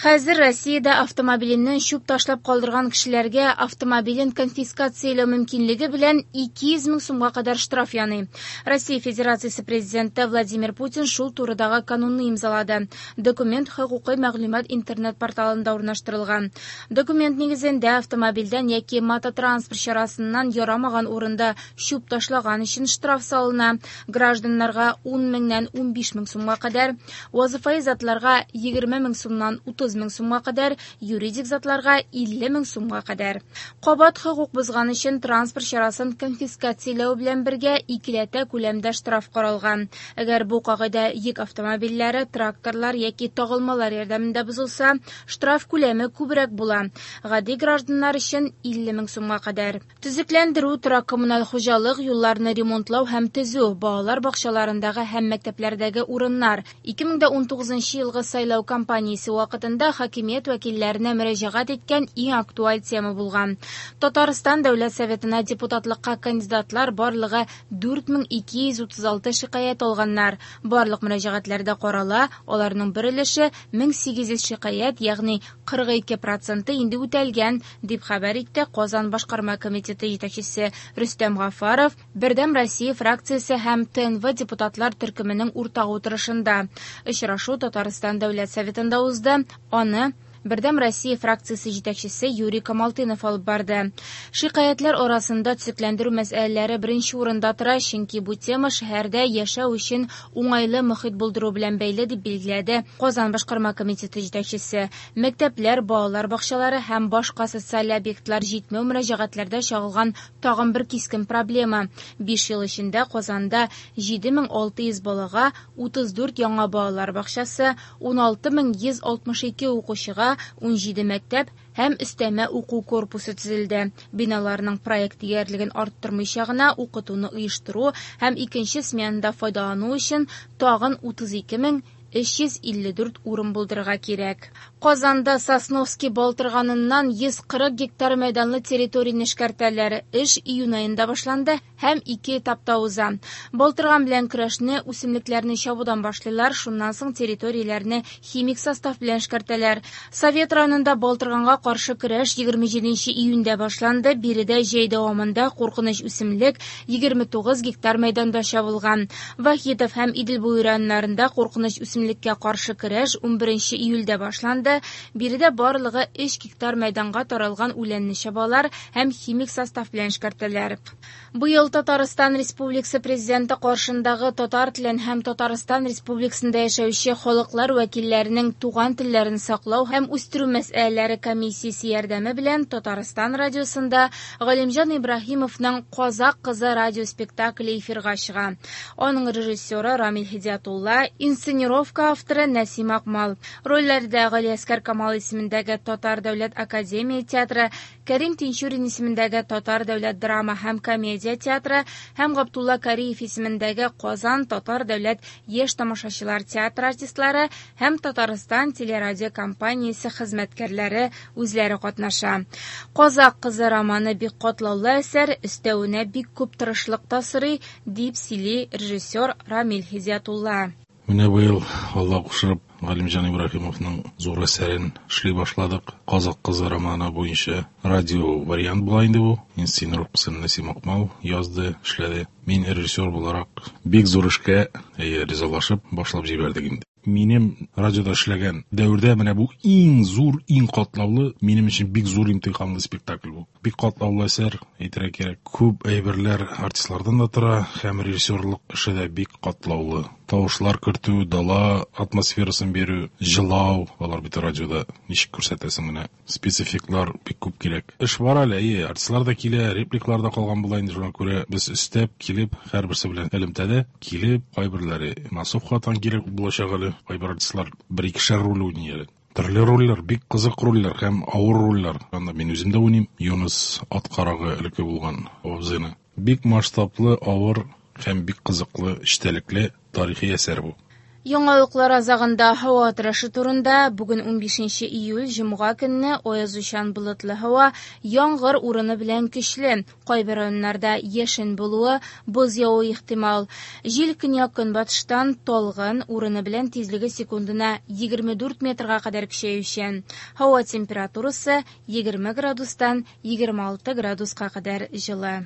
Хәзер Россиядә автомобиленнән чүп ташлап калдырган кешеләргә автомобилен конфискацияләү мөмкинлеге белән 200 мең сумга кадәр штраф яный. Россия Федерациясе Президенты Владимир Путин шул турыдагы канунны имзалады. Документ хокукый мәгълүмат интернет-порталында урнаштырылган. Документ нигезендә автомобильдән яки мототранспорт чарасыннан ярамаган урында чүп ташлаган өчен штраф салына. Гражданнарга 10 меңнән 15 мең сумга кадәр, вазыйфаи затларга 20 мең сумнан 30 мең сумга кадәр, юридик затларга 50 мең сумга кадәр. Кабат хокук бозган өчен транспорт чарасын конфискацияләү белән бергә икеләтә күләмдә штраф каралган. Әгәр бу кагыйдә йөк автомобильләре, тракторлар яки тагылмалар ярдәмендә бозылса, штраф күләме күбрәк була. Гади гражданнар өчен 50 мең сумга кадәр. Төзекләндерү, торак-коммуналь хуҗалык, юлларны ремонтлау һәм төзү, балалар бакчаларындагы һәм мәктәпләрдәге урыннар. 2019 елгы сайлау кампаниясе вакытында хакимият вәкилләренә мөрәҗәгать иткән иң актуаль тема булган. Татарстан Дәүләт Советына депутатлыкка кандидатлар барлыгы 4236 шикаять алганнар. Барлык мөрәҗәгатьләр дә карала, аларның бер өлеше 1800 шикаять, ягъни 42 проценты инде үтәлгән, дип хәбәр итте Казан башкарма комитеты җитәкчесе Рөстәм Гафаров Бердәм Россия фракциясе һәм ТНВ депутатлар төркеменең уртак утырышында. Очрашу Татарстан Дәүләт Советында узды. Аны Бердәм Россия фракциясе җитәкчесе Юрий Камалтынов алып барды. Шикаятьләр арасында төзекләндерү мәсьәләләре беренче урында тора, чөнки бу тема шәһәрдә яшәү өчен уңайлы мохит булдыру белән бәйле, дип билгеләде Казан башкарма комитеты җитәкчесе. Мәктәпләр, балалар бакчалары һәм башка социаль объектлар җитмәү мөрәҗәгатьләрдә чагылган тагын бер кискен проблема. 5 ел эчендә Казанда 7600 балага 34 яңа балалар бакчасы, 16162 укучыга 17 мәктәп һәм өстәмә уку корпусы төзелде. Биналарның проект диярлеген арттырмыйча гына укытуны оештыру һәм икенче сменада файдалану өчен тагын 32354 урын булдырырга кирәк. Казанда Сосновский балтырганыннан 140 гектар мәйданлы территорияне эшкәртәләр. Эш июнь аенда башланды һәм ике этапта уза. Балтырган белән көрәшне үсемлекләрне чабудан башлыйлар, шуннан соң территорияләрне химик состав белән эшкәртәләр. Совет районында балтырганга каршы көрәш 27 июньдә башланды. Биредә җәй дәвамында куркыныч үсемлек 29 гектар мәйданда чабылган. Вахитов һәм Идел буе районнарында куркыныч үсемлеккә каршы көрәш 11 июльдә башланды. Биредә барлыгы 3 гектар мәйданга таралган үләнне чабалар һәм химик состав белән эшкәртәләр. Быел Татарстан Республикасы Президенты каршындагы татар телен һәм Татарстан Республикасында яшәүче халыклар вәкилләренең туган телләрен саклау һәм үстерү мәсьәләләре комиссиясе ярдәме белән Татарстан радиосында Галимҗан Ибраһимовның Казак кызы радиоспектакле эфирга чыга. Аның режиссеры Рамил Һидиятулла, инсценировка авторы Нәсим Акмал. Рольләрдә Галиәсгар Камал исемендәге Татар дәүләт академия театры, Кәрим Тинчурин исемендәге Татар дәүләт драма һәм комедия театры һәм Габдулла Кариев исемендәге Казан татар дәүләт яшь тамашачылар театры артистлары һәм Татарстан телерадиокомпаниясе хезмәткәрләре үзләре катнаша. Казак кызы романы бик катлаулы әсәр, өстәвенә бик күп тырышлык та сорый, дип сөйли режиссер Рамил Һидиятулла. Менә быел, Алла кушып, Галимҗан Ибраһимовның зур әсәрен эшли башладык. Казак кызы романы буенча радио вариант була инде бу. Инсценировкасын Нәсим Акмал язды, эшләде. Мин режиссер буларак бик зур эшкә, әйе, ризалашып башлап җибәрдек инде. Минем радиода эшләгән дәвердә менә бу иң зур, иң катлаулы, минем өчен бик зур имтиханлы спектакль бу. Бик катлаулы әсәр, әйтергә кирәк. Күп әйберләр артистлардан да тора, һәм режиссерлык эше дә бик катлаулы. Тавышлар кертү, дала атмосферасын бирү, җылау, алар бит радиода ничек күрсәтәсең менә. Спецэффектлар бик күп кирәк. Эш бар әле, әйе, артистлар да килә, репликалар да калган була инде, шуңа күрә без өстәп килеп, һәрберсе белән элемтәдә килеп, кайберләре массовкадан кирәк булачак әле, кайбер артистлар бер-икешәр роль уйный әле. Төрле рольләр, бик кызык рольләр һәм авыр рольләр. Анда мин үзем дә уйныйм. Юныс ат карагы элекке булган абзыйны. Бик масштаблы, авыр һәм бик кызыклы, эчтәлекле тарихи әсәр бу. Яңалыклар азагында һава торышы турында. Бүген 15 июль, җомга көнне аязучан болытлы һава, яңгыр урыны белән көчле. Кайбер районнарда яшен булуы, боз явуы ихтимал. Җил көньяк-көнбатыштан талгын, урыны белән тизлеге секундына 24 метрга кадәр көчәючән. Һава температурасы 20 градустан 26 градуска кадәр җылы.